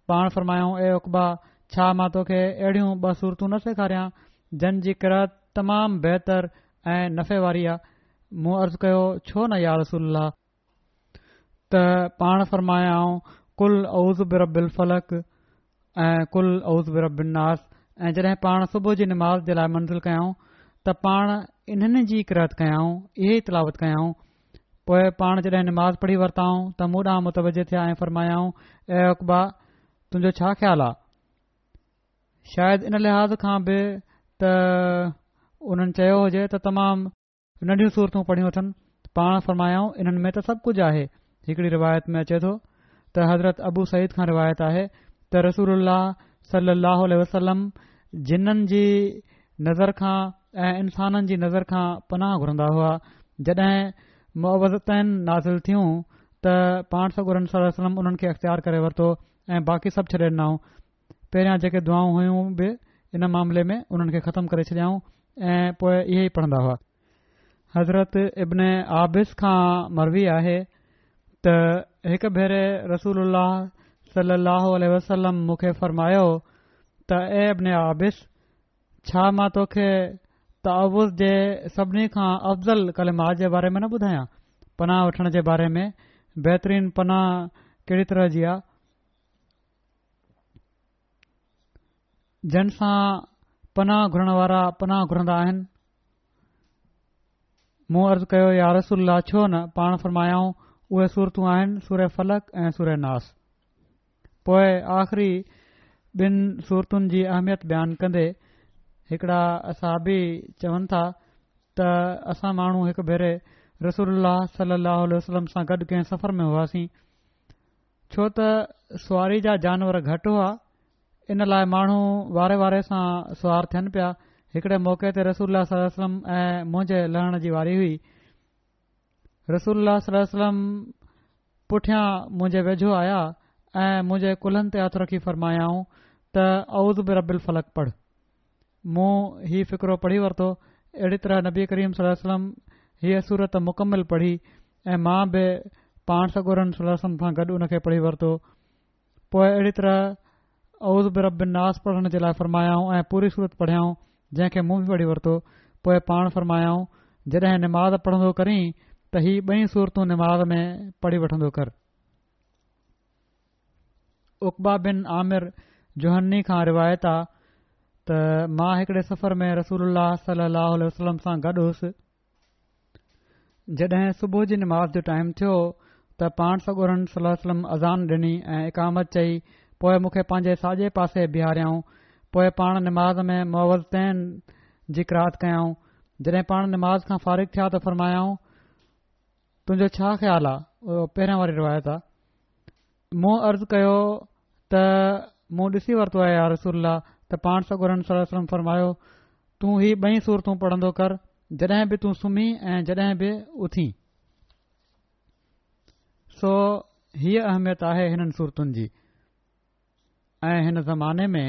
پاڻ فرمايائون، اي عقبه! ڇا مان توکي اهڙيون ٻه سورتون نه سيکاريان، جن جي قرأت تمام بهتر ۽ نفعي واري آ؟ مون عرض ڪيو، ڇو نه يا رسول الله! ته پاڻ فرمايائون، قل اعوذ برب الفلق ۽ قل اعوذ برب الناس ۽ جڏهن پاڻ صبح جي نماز جي لاء منزل ڪيائون ته پاڻ انهن جي قرأت ڪيائون، اهي ئي تلاوت ڪيائون. پوء پاڻ جڏهن نماز پڙهي ورتائون ته مون ڏانهن متوجه ٿيا ۽ فرمايائون، اي عقبه! تنهنجو ڇا خيال آ؟ شايد ان لحاظ کان به ته انهن چيو هجي ته تمام ننڍيون سورتون پڙهيون اٿن، پاڻ فرمايائون، انهن ۾ ته سڀ ڪجهه آهي. هڪڙي روايت ۾ اچي ٿو ته حضرت ابو سعيد کان روايت آهي ته رسول الله صلي الله عليه وسلم جنن جي نظر کان ۽ انسانن جي نظر کان پناهه گهرندا هئا، جڏهن معوذتين نازل ٿيون ته پاڻ سڳورن صلي الله عليه وسلم انهن کي اختيار ڪري ورتو ۽ باقي سڀ ڇڏي ڏنائون. پهريان جيڪي دعائون هيون به ان معاملي ۾ انهن کي ختم ڪري ڇڏيائون ۽ پوء اهي ئي پڙهندا هئا. حضرت ابن عابس کان مروي آهي ته هڪ ڀيري رسول الله صلي الله عليه وسلم مون کي فرمايو ته اي ابن عابس! ڇا مان توکي تعوذ جي سڀني کان افضل ڪلمات جي باري ۾ نه ٻڌايان؟ پناهه وٺڻ جي باري ۾ بهترين پناهه ڪهڙي طرح جي آ؟ جن سان پناهه گهرڻ وارا پناهه گهرندا آهن. مون عرض ڪيو يا رسول الله ڇو نه؟ پاڻ فرمايائون اهي سورتون آهن سوره فلق ۽ سوره ناس. پوء آخري ٻن سورتن جي اهميت بيان ڪندي هڪڙا اصحابي چون ٿا ته اسان ماڻهو هڪ ڀيري رسول الله صلي الله عليه وسلم سان گڏ ڪنهن سفر ۾ هئاسين ڇو ته سواري جا جانور گهٽ هئا، ان لاء ماڻهو واري واري سان سوار ٿين پيا. هڪڙي موقعي تي رسول الله صلي الله عليه وسلم ۽ منهنجي لهڻ جي واري هئي. رسول الله صلي الله عليه وسلم پٺيان منهنجي ويجهو آيا ۽ منهنجي ڪلهن تي هٿ رکي فرمايائون ته اعوذ برب الفلق پڙهه. مون هي فقرو پڙهي ورتو. اهڙي طرح نبي ڪريم صلي الله عليه وسلم هيء سورت مڪمل پڙهي ۽ مان به پاڻ سڳورن صلي الله عليه وسلم سان گڏ ان کي پڙهي ورتو. پوء اهڙي طرح اعوذ برب الناس پڙهڻ جي لاء فرمايائون ۽ پوري سورت پڙهيائون جنهن کي مون به پڙهي ورتو. پوء پاڻ فرمايائون جڏهن نماز پڙهندو ڪرين ته هي ٻئي سورتون نماز ۾ پڙهي وٺندو ڪر. عقبه بن عامر جهني کان روايت آ ته مان هڪڙي سفر ۾ رسول الله صلي الله عليه وسلم سان گڏ هوس. جڏهن صبح جي نماز جو ٽائيم ٿيو ته پاڻ سڳورن صلي الله عليه وسلم اذان ڏني ۽ اقامت چئي پوء مون کي پنهنجي ساڄي پاسي بيهاريائون پوء پاڻ نماز ۾ معوذتين جي قرات ڪيائون جڏهن پاڻ نماز کان فارغ ٿيا ته فرمايائون تنهنجو ڇا خيال آ اهو پهريان واري روايت آ مون عرض ڪيو ته مون ڏسي ورتو آهي يا رسول الله ته پاڻ سڳورن صلي الله عليه وسلم فرمايو تون هي ٻئي سورتون پڙهندو ڪر جڏهن به تون سمهين ۽ جڏهن به اٿين. سو هيء اهميت آهي هنن سورتن جي ۽ هن زماني ۾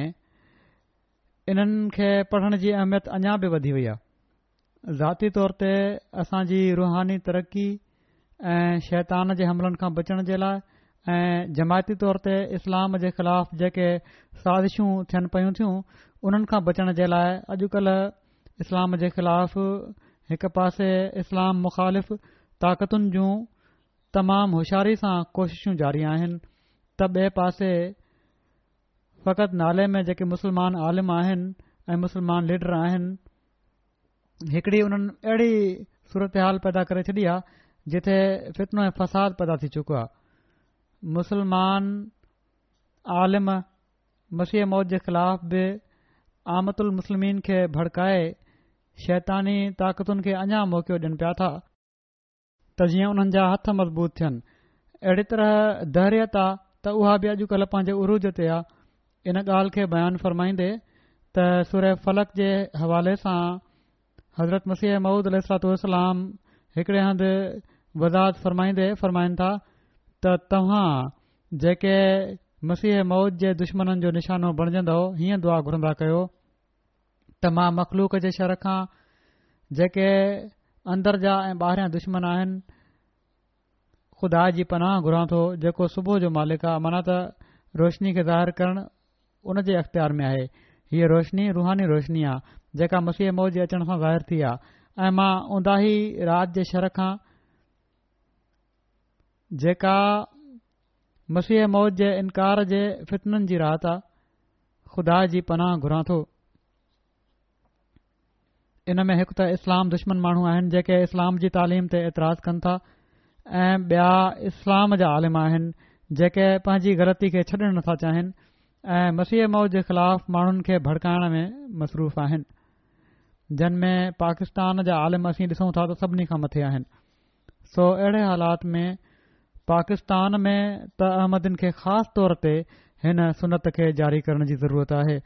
انهن کي پڙهڻ جي اهميت اڃا به وڌي وئي آهي. ذاتي طور تي اسان جي روحاني ترقي ۽ شيطان جي حملن کان بچڻ جي لاء ۽ جماعتي طور تي اسلام جي خلاف جيڪي سازشون ٿين پيون ٿيون انهن کان بچڻ جي لاء اڄڪلهه اسلام جي خلاف هڪ پاسي اسلام مخالف طاقتن جون تمام هوشياري سان ڪوششون جاري آهن ته ٻئي پاسي فقط نالي ۾ جيڪي مسلمان عالم آهن ۽ مسلمان ليڊر آهن هڪڙي انهن اهڙي صورتحال پيدا ڪري ڇڏي آهي جتي فتنو ۽ فساد پيدا ٿي چڪو آهي مسلمان عالم مسيح موعود جي خلاف به عامة المسلمين کي ڀڙڪائي شيطاني طاقتن کي اڃا موقعو ڏين پيا ٿا ته جيئن انهن جا هٿ مضبوط ٿين. اهڙي طرح دهريت آ ته اها به اڄڪلهه پنهنجي عروج تي آ. ان ڳالهه کي بيان فرمائيندي ته سوره فلق جي حوالي سان حضرت مسيح موعود عليه الصلوة والسلام هڪڙي هنڌ وضاحت فرمائيندي فرمائن ٿا ته توهان جيڪي مسيح موعود جي دشمنن جو نشانو بڻجندؤ هيئن دعا گهرندا ڪيو ته مان مخلوق جي شر کان جيڪي اندر جا ۽ ٻاهريان دشمن آهن خدا جي پناهه گهران ٿو جيڪو صبح جو مالڪ آ معنيٰ ته روشني کي ظاهر ڪرڻ ان جي اختيار ۾ آهي. هيء روشني روحاني روشني آ جيڪا مسيح موعود جي اچڻ سان ظاهر ٿي آ ۽ مان اونداهي رات جي شر کان جيڪا مسيح موعود جي انڪار جي فتنن جي رات آ خدا جي پناهه گهران ٿو. ان ۾ هڪ ته اسلام دشمن ماڻهو آهن جيڪي اسلام جي تعليم تي اعتراض ڪن ٿا ۽ ٻيا اسلام جا عالم آهن جيڪي پنهنجي غلطي کي ڇڏڻ نٿا چاهين ۽ مسيح موعود جي خلاف ماڻهن کي ڀڙڪائڻ ۾ مصروف آهن جن ۾ پاڪستان جا عالم اسين ڏسون ٿا ته سڀني کان مٿي آهن سو اهڙي حالات ۾ پاڪستان ۾ ته احمدين کي خاص طور تي هن سنت کي جاري ڪرڻ جي ضرورت آهي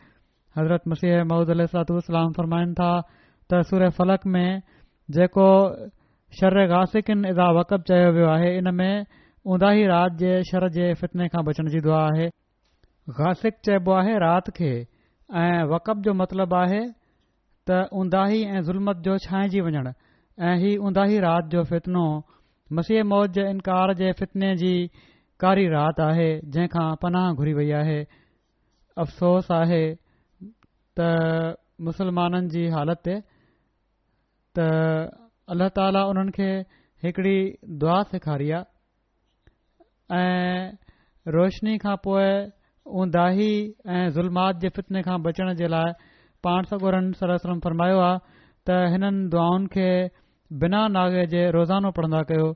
حضرت مسيح موعود عليه الصلوة والسلام فرمائن ٿا ته سوره فلق ۾ جيڪو شر غاسق اذا وقب چيو ويو آهي ان ۾ اونداهي رات جي شر جي فتني کان بچڻ جي دعا آهي. غاسق چئبو آهي رات کي ۽ وقب جو مطلب آهي ته اونداهي ۽ ظلمت جو ڇانئجي وڃڻ ۽ هي اونداهي رات جو فتنو مسيح موعود جي انڪار جي فتني جي ڪاري رات آهي جنهن کان پناهه گهري وئي آهي. افسوس آهي ته مسلمانن جي حالت تي ته الله تعالي انهن کي هڪڙي دعا سيکاري آ ۽ روشني کان پوء اونداهي ۽ ظلمات جي فتني کان بچڻ جي لاء پاڻ سڳورن صلي الله عليه وسلم فرمايو آ ته هنن دعائن کي بنا ناغي جي روزانو پڙهندا ڪيو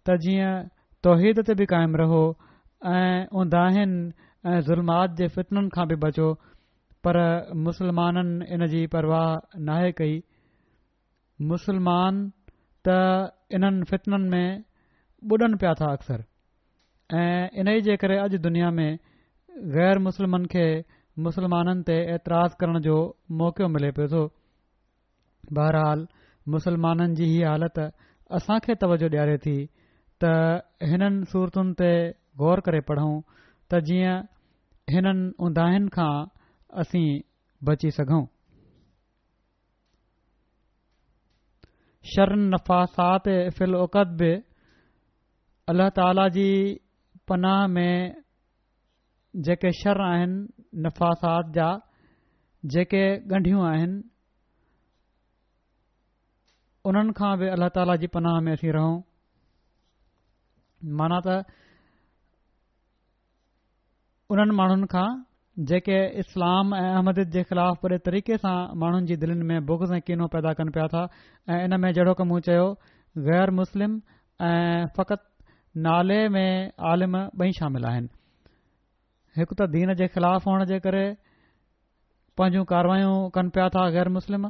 ته جيئن توحيد تي به قائم رهو ۽ اونداهين ۽ ظلمات جي فتنن کان به بچو پر مسلمانن ان جي پرواهه ناهي ڪئي مسلمان ته انهن فتنن ۾ ٻڏن پيا ٿا اڪثر ۽ انهي جي ڪري اڄ دنيا ۾ غير مسلمن کي مسلمانن تي اعتراض ڪرڻ جو موقعو ملي پيو ٿو. بهرحال مسلمانن جي هي حالت اسان کي توجه ڏياري ٿي ته هنن سورتن تي غور ڪري پڙهون ته جيئن هنن اونداهين کان اسين بچي سگهون. شر النفاثات في العقد به الله تعالي جي پناهه ۾ جيڪي شر آهن نفاثات جا جيڪي ڳنڍيون آهن انهن کان به الله تعاليٰ جي پناهه ۾ اسين رهون معنيٰ ته انهن ماڻهن کان جيڪي اسلام ۽ احمديت جي خلاف وڏي طريقي سان ماڻهن جي دلين ۾ بغض ۽ ڪينو پيدا ڪن پيا ٿا ۽ ان ۾ جهڙوڪ مون چيو غير مسلم ۽ فقط نالي ۾ عالم ٻئي شامل آهن. هڪ ته دين جي خلاف هئڻ جي ڪري پنهنجون ڪاروايون ڪن پيا ٿا غير مسلم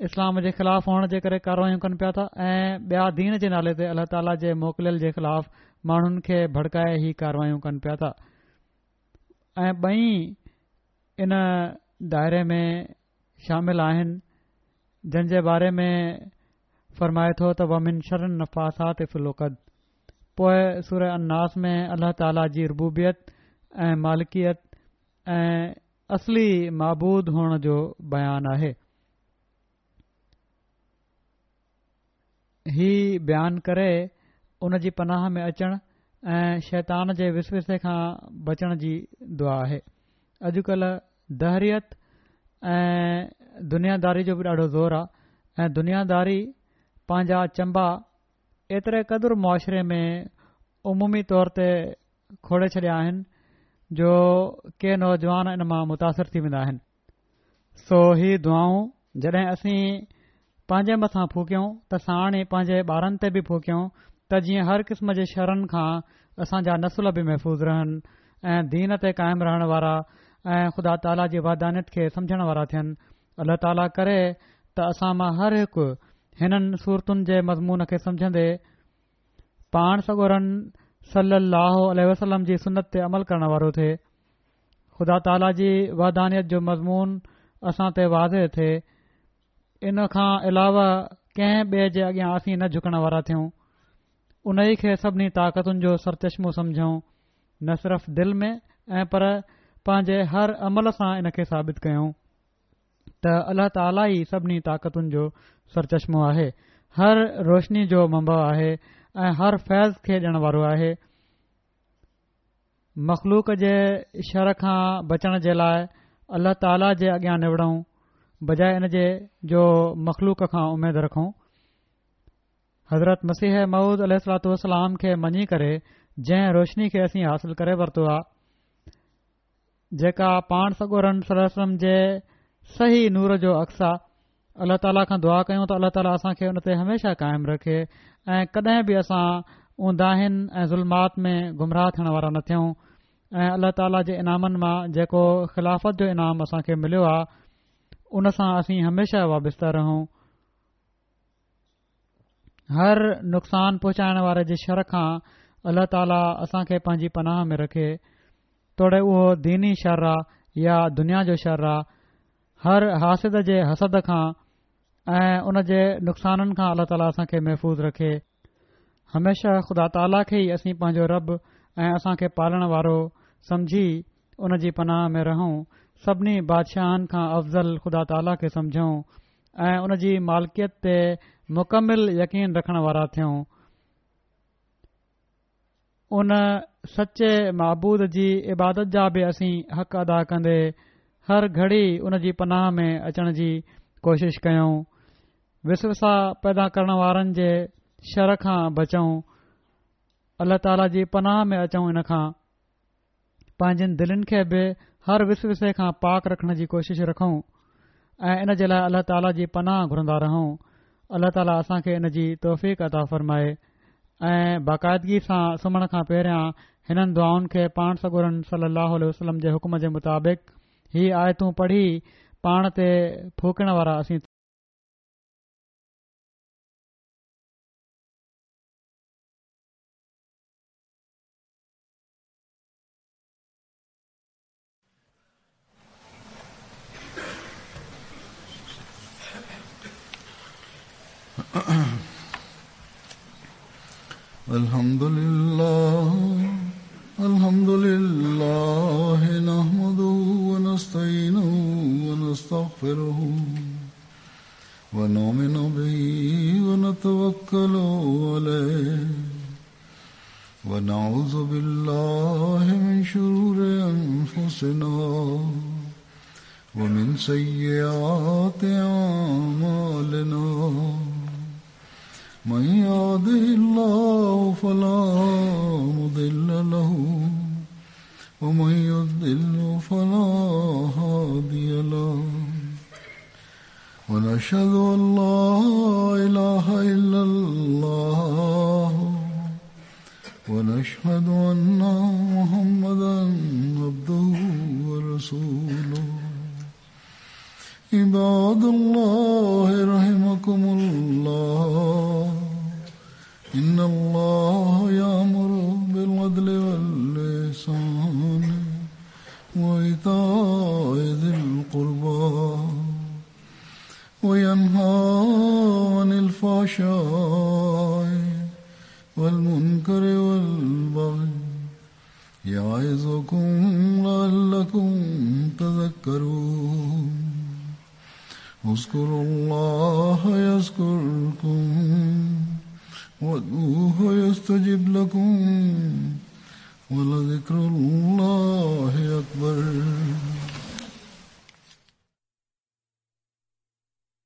اسلام جي خلاف هئڻ جي ڪري ڪاروايون ڪن پيا ٿا ۽ ٻيا دين جي نالي تي الله تعاليٰ جي موڪليل جي خلاف ماڻهن کي ڀڙڪائي هي ڪاروايون ڪن پيا ٿا ۽ ٻئي ان دائري ۾ شامل آهن جن جي باري ۾ فرمائي ٿو ته ومن شر النفاثات في العقد پوء سوره الناس ۾ الله تعالي جي ربوبيت ۽ مالڪيت ۽ اصلي معبود هئڻ جو بيان آهي. هي بيان ڪري ان جي پناهه ۾ اچڻ ۽ شيطان جي وسوسي کان بچڻ جي دعا آهي. اڄڪلهه دهريت ۽ دنياداري جو به ڏاڍو زور آ ۽ دنياداري پنهنجا چنبا ايتري قدر معاشري ۾ عمومي طور تي کوڙي ڇڏيا آهن جو ڪي نوجوان ان مان متاثر ٿي ويندا آهن. سو هي دعائون جڏهن اسين پنهنجي مٿان ڦوڪيون ته ساڻ ئي پنهنجي ٻارن تي به ڦوڪيون ته جيئن هر قسم جي شرن کان اسان جا نسل به محفوظ رهن ۽ دين تي قائم رهڻ وارا ۽ خدا تعاليٰ جي وحدانيت کي سمجهڻ وارا ٿين. الله تعاليٰ ڪري ته اسان مان هر هڪ هنن سورتن جي مضمون کي سمجهندي پاڻ سڳورن صلّي اللّٰه عليه وسلّم جي سنت تي عمل ڪرڻ وارو ٿئي. خدا تعاليٰ جي وحدانيت جو مضمون اسان تي واضح ٿئي. ان کان علاوه ڪنهن ٻئي جي اڳيان اسين نه جهڪڻ وارا ٿيون. انهي کي سڀني طاقتن جو سرچشمو سمجهون، نه صرف دل ۾ ۽ پر پنهنجي هر عمل سان ان کي ثابت ڪيون ته الله تعاليٰ ئي سڀني طاقتن جو سرچشمو آهي، هر روشني جو منبع آهي ۽ هر فيض کي ڏيڻ وارو آهي. مخلوق جي شر کان بچڻ جي لاء الله تعاليٰ جي اڳيان نوڙون بجاء ان جي جو مخلوق کان اميد رکون. حضرت مسيح موعود عليه الصلوة والسلام کي مڃي ڪري جنهن روشني کي اسين حاصل ڪري ورتو آ جيڪا پاڻ سڳورن صلي الله عليه وسلم جي صحيح نور جو عڪس آ الله تعاليٰ کان دعا ڪيون ته الله تعاليٰ اسان کي ان تي هميشه قائم رکي ۽ ڪڏهن به اسان اونداهين ۽ ظلمات ۾ گمراهه ٿيڻ وارا نه ٿيون ۽ الله تعاليٰ جي انعامن مان جيڪو خلافت جو انعام اسان کي مليو آ ان سان اسين هميشه وابسته رهون. هر نقصان پهچائڻ واري جي شر کان الله تعاليٰ اسان کي پنهنجي پناهه ۾ رکي توڙي اهو ديني شر آ يا دنيا جو شر آ هر حاسد جي حسد کان ۽ ان جي نقصانن کان الله تعاليٰ اسان کي محفوظ رکي. هميشه خدا تعاليٰ کي ئي اسين پنهنجو رب ۽ اسان کي پالڻ وارو سمجهي ان جي پناهه ۾ رهون، سڀني بادشاهن کان افضل خدا تعاليٰ کي سمجهون ۽ ان جي مالڪيت تي مڪمل يقين رکڻ وارا ٿيون. ان سچي معبود جي عبادت جا به اسين حق ادا ڪندي هر گهڙي ان جي پناهه ۾ اچڻ جي ڪوشش ڪيون. وسوسا پيدا ڪرڻ وارن جي شر کان بچون. الله تعاليٰ جي پناهه ۾ اچون ان کان. پنهنجين دلين کي به هر وسوسي کان پاڪ رکڻ جي ڪوشش رکون ۽ ان جي لاء الله تعاليٰ جي پناهه گهرندا رهون. الله تعاليٰ اسان کي ان جي توفيق عطا فرمائي ۽ باقاعدگي سان سمهڻ کان پهريان هنن دعائن کي پاڻ سڳورن صلي الله عليه وسلم جي حڪم جي مطابق هي آيتون پڙهي پاڻ تي ڦوڪڻ وارا اسين الحمد لله الحمد لله نحمده ونستعينه ونستغفره ونؤمن به ونتوكل عليه ونعوذ بالله من شرور أنفسنا ومن سيئات أعمالنا من يهده الله فلا مضل له ومن يضلل فلا هادي له ونشهد أن لا إله إلا الله ونشهد أن محمدا عبده ورسوله عباد الله رحمكم الله إن الله يأمر بالعدل والإحسان وإيتاء ذي القربى وينهى عن الفحشاء والمنكر والبغي يعظكم لعلكم تذكرون اذكروا الله يذكركم وادعوه يستجب لكم ولذكر الله أكبر.